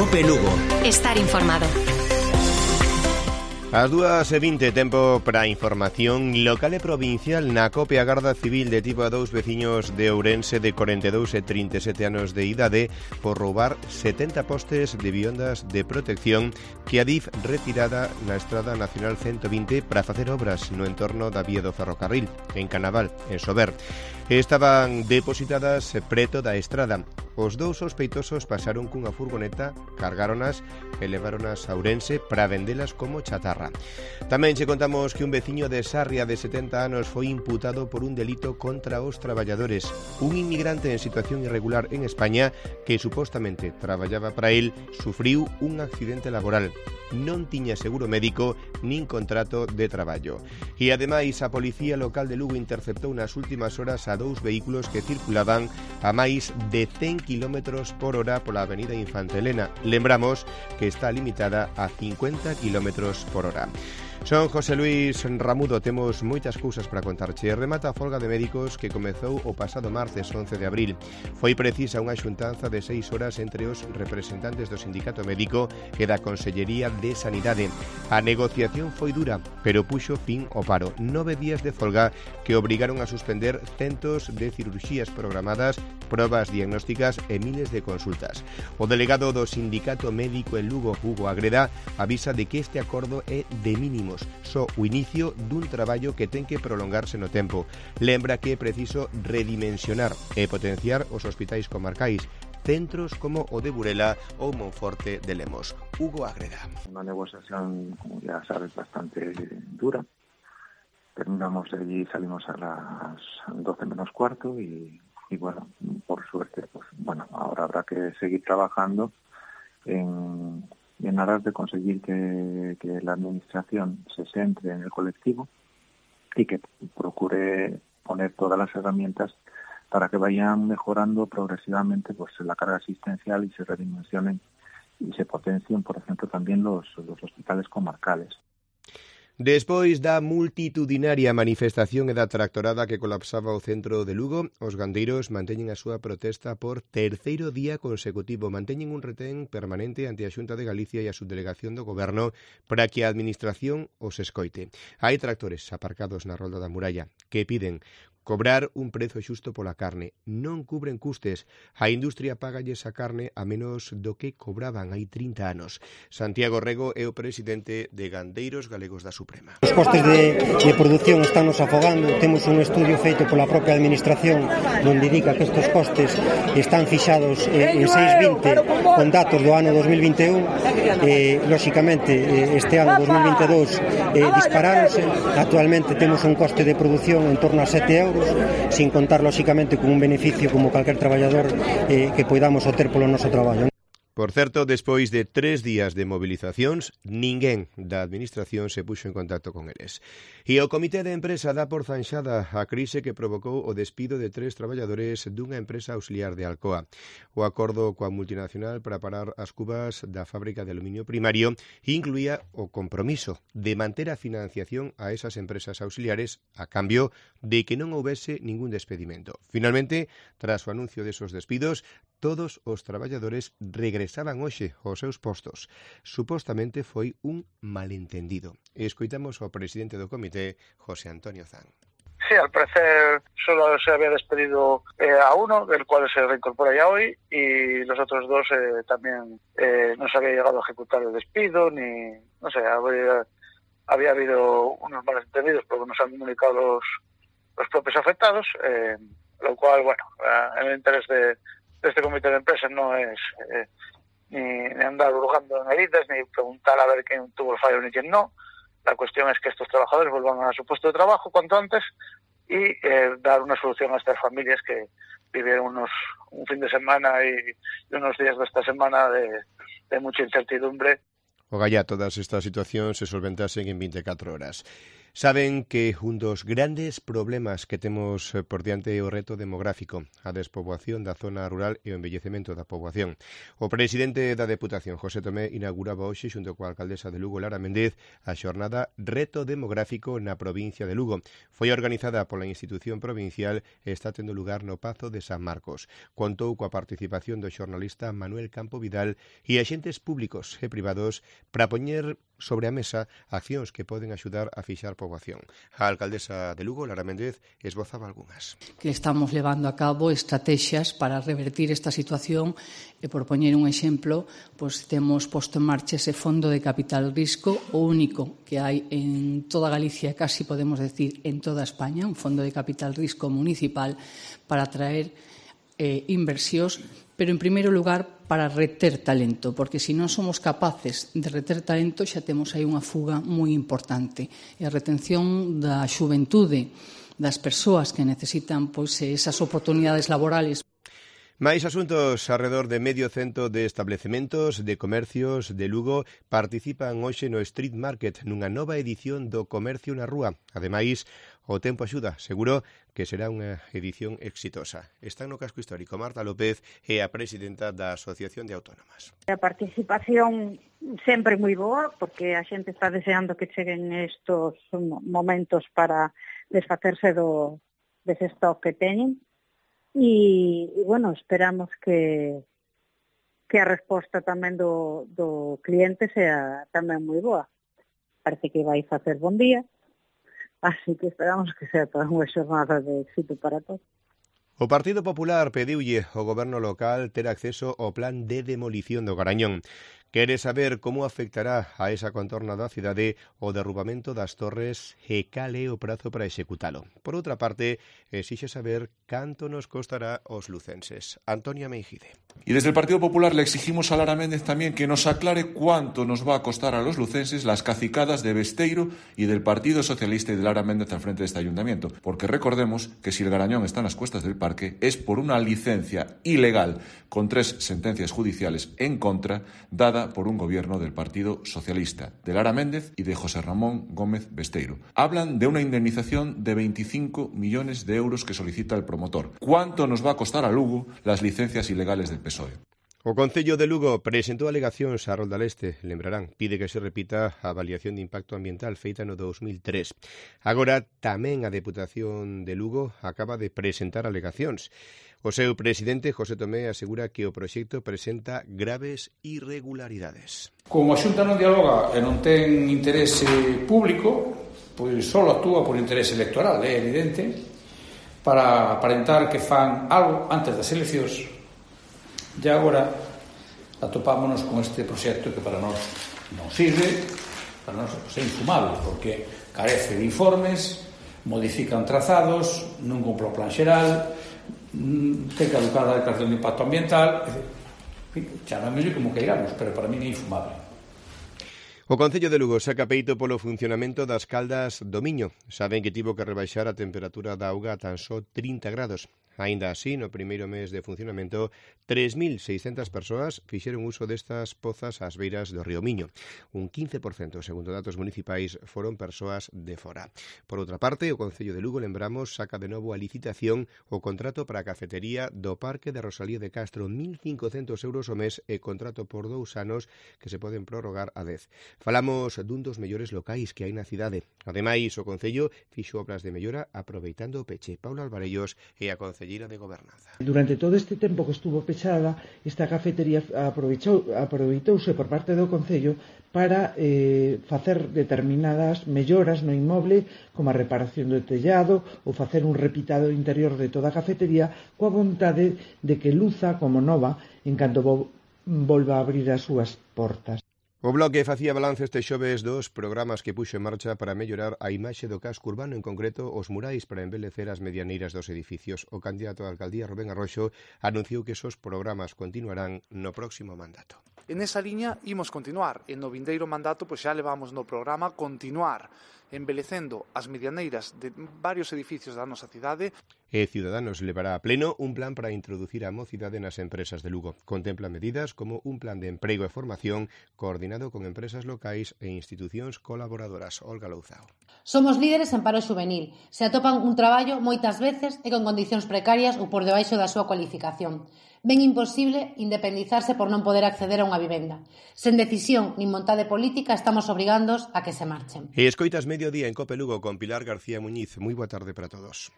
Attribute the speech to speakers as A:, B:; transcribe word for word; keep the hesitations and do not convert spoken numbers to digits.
A: Cope Lugo.
B: Estar informado.
C: As dúas e vinte, tempo para información local e provincial. Na Cope, a Garda Civil detivo a dous veciños de Ourense de corenta e dous e trinta e sete anos de idade por roubar setenta postes de viondas de protección que a D I F retirada na Estrada Nacional ciento vinte para facer obras no entorno da vía do ferrocarril, en Canaval, en Sober. Estaban depositadas preto da estrada. Os dous sospeitosos pasaron cunha furgoneta, cargáronas e leváronas a Ourense para vendelas como chatarra. Tamén che contamos que un veciño de Sarria de setenta anos foi imputado por un delito contra os traballadores. Un inmigrante en situación irregular en España que supostamente traballaba para el sufriu un accidente laboral. Non tiña seguro médico nin contrato de traballo. E ademais a Policía Local de Lugo interceptou nas últimas horas a dous vehículos que circulaban a máis de cen kilómetros por hora pola avenida Infanta Elena. Lembramos que está limitada a cincuenta kilómetros por hora. Son José Luis Ramudo, temos moitas cousas para contarche. Remata a folga de médicos que comezou o pasado martes once de abril. Foi precisa unha xuntanza de seis horas entre os representantes do Sindicato Médico e da Consellería de Sanidade. A negociación foi dura, pero puxo fin ao paro. Nove días de folga que obrigaron a suspender centos de cirurxías programadas, probas diagnósticas e miles de consultas. O delegado do Sindicato Médico en Lugo, Hugo Agreda, avisa de que este acordo é de mínimo, só o inicio dun traballo que ten que prolongarse no tempo. Lembra que é preciso redimensionar e potenciar os hospitais comarcais, centros como o de Burela ou Monforte de Lemos. Hugo Agreda.
D: Una negociación, como ya sabes, bastante dura. Terminamos de allí, salimos a las doce menos cuarto y, y bueno, por suerte, pues bueno, ahora habrá que seguir trabajando en... en aras de conseguir que, que la administración se centre en el colectivo y que procure poner todas las herramientas para que vayan mejorando progresivamente pues la carga asistencial y se redimensionen y se potencien, por ejemplo, también los, los hospitales comarcales.
C: Despois da multitudinaria manifestación e da tractorada que colapsaba o centro de Lugo, os gandeiros manteñen a súa protesta por terceiro día consecutivo. Manteñen un retén permanente ante a Xunta de Galicia e a subdelegación do Goberno para que a Administración os escoite. Hai tractores aparcados na rolda da muralla que piden cobrar un prezo xusto pola carne. Non cubren custes. A industria pagalles a carne a menos do que cobraban hai trinta anos. Santiago Rego é o presidente de Gandeiros Galegos da Suprema.
E: Os costes de, de produción están nos afogando. Temos un estudio feito pola propia administración onde indica que estes costes están fixados eh, en seis vinte con datos do ano dos mil vinte e un. Eh, lóxicamente, eh, este ano dos mil vinte e dous eh, disparáronse. Actualmente temos un coste de produción en torno a sete euros, sin contar, lóxicamente, con un beneficio como calquer traballador eh, que poidamos obter polo noso traballo.
C: Por certo, despois de tres días de movilizacións, ninguén da Administración se puxo en contacto con eles. E o Comité de Empresa dá por zanxada a crise que provocou o despido de tres traballadores dunha empresa auxiliar de Alcoa. O acordo coa multinacional para parar as cubas da fábrica de aluminio primario incluía o compromiso de manter a financiación a esas empresas auxiliares a cambio de que non houbese ningún despedimento. Finalmente, tras o anuncio desos despidos, todos os traballadores regresaban hoxe aos seus postos. Supostamente foi un malentendido. Escoitamos ao presidente do comité, José Antonio Zan.
F: Sí, al parecer solo se había despedido eh, a uno, del cual se reincorpora ya hoy, y los otros dos eh, también eh, no se había llegado a ejecutar el despido, ni, no sé, había, había habido unos malentendidos porque nos han comunicado los, los propios afectados, eh, lo cual, bueno, eh, en el interés de este comité de empresa no es eh, ni, ni andar hurgando en heridas, ni preguntar a ver quién tuvo el fallo ni quién no. La cuestión es que estos trabajadores vuelvan a su puesto de trabajo cuanto antes y eh, dar una solución a estas familias que vivieron unos un fin de semana y, y unos días de esta semana de, de mucha incertidumbre.
C: Ogallá todas estas situacións se solventasen en vinte e catro horas. Saben que un dos grandes problemas que temos por diante é o reto demográfico, a despoboación da zona rural e o envellecemento da poboación. O presidente da Deputación, José Tomé, inauguraba hoxe, xunto coa alcaldesa de Lugo, Lara Méndez, a xornada Reto Demográfico na provincia de Lugo. Foi organizada pola institución provincial e está tendo lugar no Pazo de San Marcos. Contou coa participación do xornalista Manuel Campo Vidal e axentes públicos e privados para poñer sobre a mesa accións que poden axudar a fixar poboación. A alcaldesa de Lugo, Lara Méndez, esbozaba algunhas.
A: Que estamos levando a cabo estrategias para revertir esta situación e, por poñer un exemplo, pois temos posto en marcha ese fondo de capital risco, o único que hai en toda Galicia, casi podemos decir en toda España, un fondo de capital risco municipal para atraer eh, inversións, pero en primeiro lugar para reter talento, porque se non somos capaces de reter talento xa temos aí unha fuga moi importante. E a retención da xuventude, das persoas que necesitan pois esas oportunidades laborales.
C: Máis asuntos arredor de medio cento de establecementos de comercios de Lugo participan hoxe no Street Market nunha nova edición do Comercio na Rúa. Ademais, o tempo axuda, seguro que será unha edición exitosa. Están no casco histórico Marta López e a presidenta da Asociación de Autónomas.
B: A participación sempre moi boa, porque a xente está deseando que cheguen estos momentos para desfacerse do dese stock que teñen. E, e bueno, esperamos que que a resposta tamén do, do cliente sea tamén moi boa. Parece que vai facer bon día, así que esperamos que sea toda unha xornada de éxito para todos.
C: O Partido Popular pediulle ao goberno local ter acceso ao plan de demolición do Garañón. Quere saber como afectará a esa contorna da cidade o derrubamento das torres e cal é o prazo para executalo. Por outra parte, exixe saber canto nos costará aos lucenses. Antonia Meijide.
G: Y desde el Partido Popular le exigimos a Lara Méndez también que nos aclare cuánto nos va a costar a los lucenses las cacicadas de Besteiro y del Partido Socialista y de Lara Méndez al frente de este ayuntamiento. Porque recordemos que si el Garañón está en las cuestas del parque es por una licencia ilegal con tres sentencias judiciales en contra dada por un gobierno del Partido Socialista, de Lara Méndez y de José Ramón Gómez Besteiro. Hablan de una indemnización de veinticinco millones de euros que solicita el promotor. ¿Cuánto nos va a costar a Lugo las licencias ilegales del P S O E?
C: O Concello de Lugo presentou alegacións a Rolda Leste, lembrarán, pide que se repita a avaliación de impacto ambiental feita no dos mil tres. Agora tamén a Deputación de Lugo acaba de presentar alegacións. O seu presidente, José Tomé, asegura que o proxecto presenta graves irregularidades.
H: Como a Xunta non dialoga e non ten interese público, pois só actúa por interese electoral, é evidente, para aparentar que fan algo antes das eleccións. E agora atopámonos con este proxecto que para nós non sirve, para nós é infumable, porque carece de informes, modifican trazados, non cumpre o plan xeral, ten caducada a declaración de impacto ambiental, chamémoslle como queiramos, pero para mí é infumable.
C: O Concello de Lugo saca peito polo funcionamento das caldas do Miño. Saben que tivo que rebaixar a temperatura da auga a tan só trinta grados. Aínda así, no primeiro mes de funcionamento, tres mil seiscentas persoas fixeron uso destas pozas ás beiras do río Miño. Un quince por cento, segundo datos municipais, foron persoas de fora. Por outra parte, o Concello de Lugo, lembramos, saca de novo a licitación o contrato para a cafetería do Parque de Rosalía de Castro, mil cincocentos euros o mes e contrato por dous anos que se poden prorrogar a dez. Falamos dun dos mellores locais que hai na cidade. Ademais, o Concello fixo obras de mellora aproveitando o peche. Paula Alvarellos e a Concelleira de Gobernanza.
I: Durante todo este tempo que estuvo pechada, esta cafetería aproveitou, aproveitouse por parte do Concello para eh, facer determinadas melloras no inmoble, como a reparación do tellado ou facer un repitado interior de toda a cafetería, coa vontade de que luza como nova en canto vo, volva a abrir as súas portas.
C: O Bloque facía balance este xoves dos programas que puxo en marcha para mellorar a imaxe do casco urbano, en concreto os murais para embelecer as medianeiras dos edificios. O candidato á alcaldía, Rubén Arroxo, anunciou que esos programas continuarán no próximo mandato.
J: En esa liña imos continuar. En no vindeiro mandato pois xa levamos no programa continuar embelecendo as medianeiras de varios edificios da nosa cidade.
C: E Ciudadanos levará a pleno un plan para introducir a mocidade nas empresas de Lugo. Contempla medidas como un plan de emprego e formación coordinado con empresas locais e institucións colaboradoras. Olga Louzao.
K: Somos líderes en paro xuvenil. Se atopan un traballo moitas veces e con condicións precarias ou por debaixo da súa cualificación. Ben imposible independizarse por non poder acceder a unha vivenda. Sen decisión nin vontade política estamos obrigándoos a que se marchen.
C: E escoitas Mediodía en Cope Lugo con Pilar García Muñiz. Moi boa tarde para todos.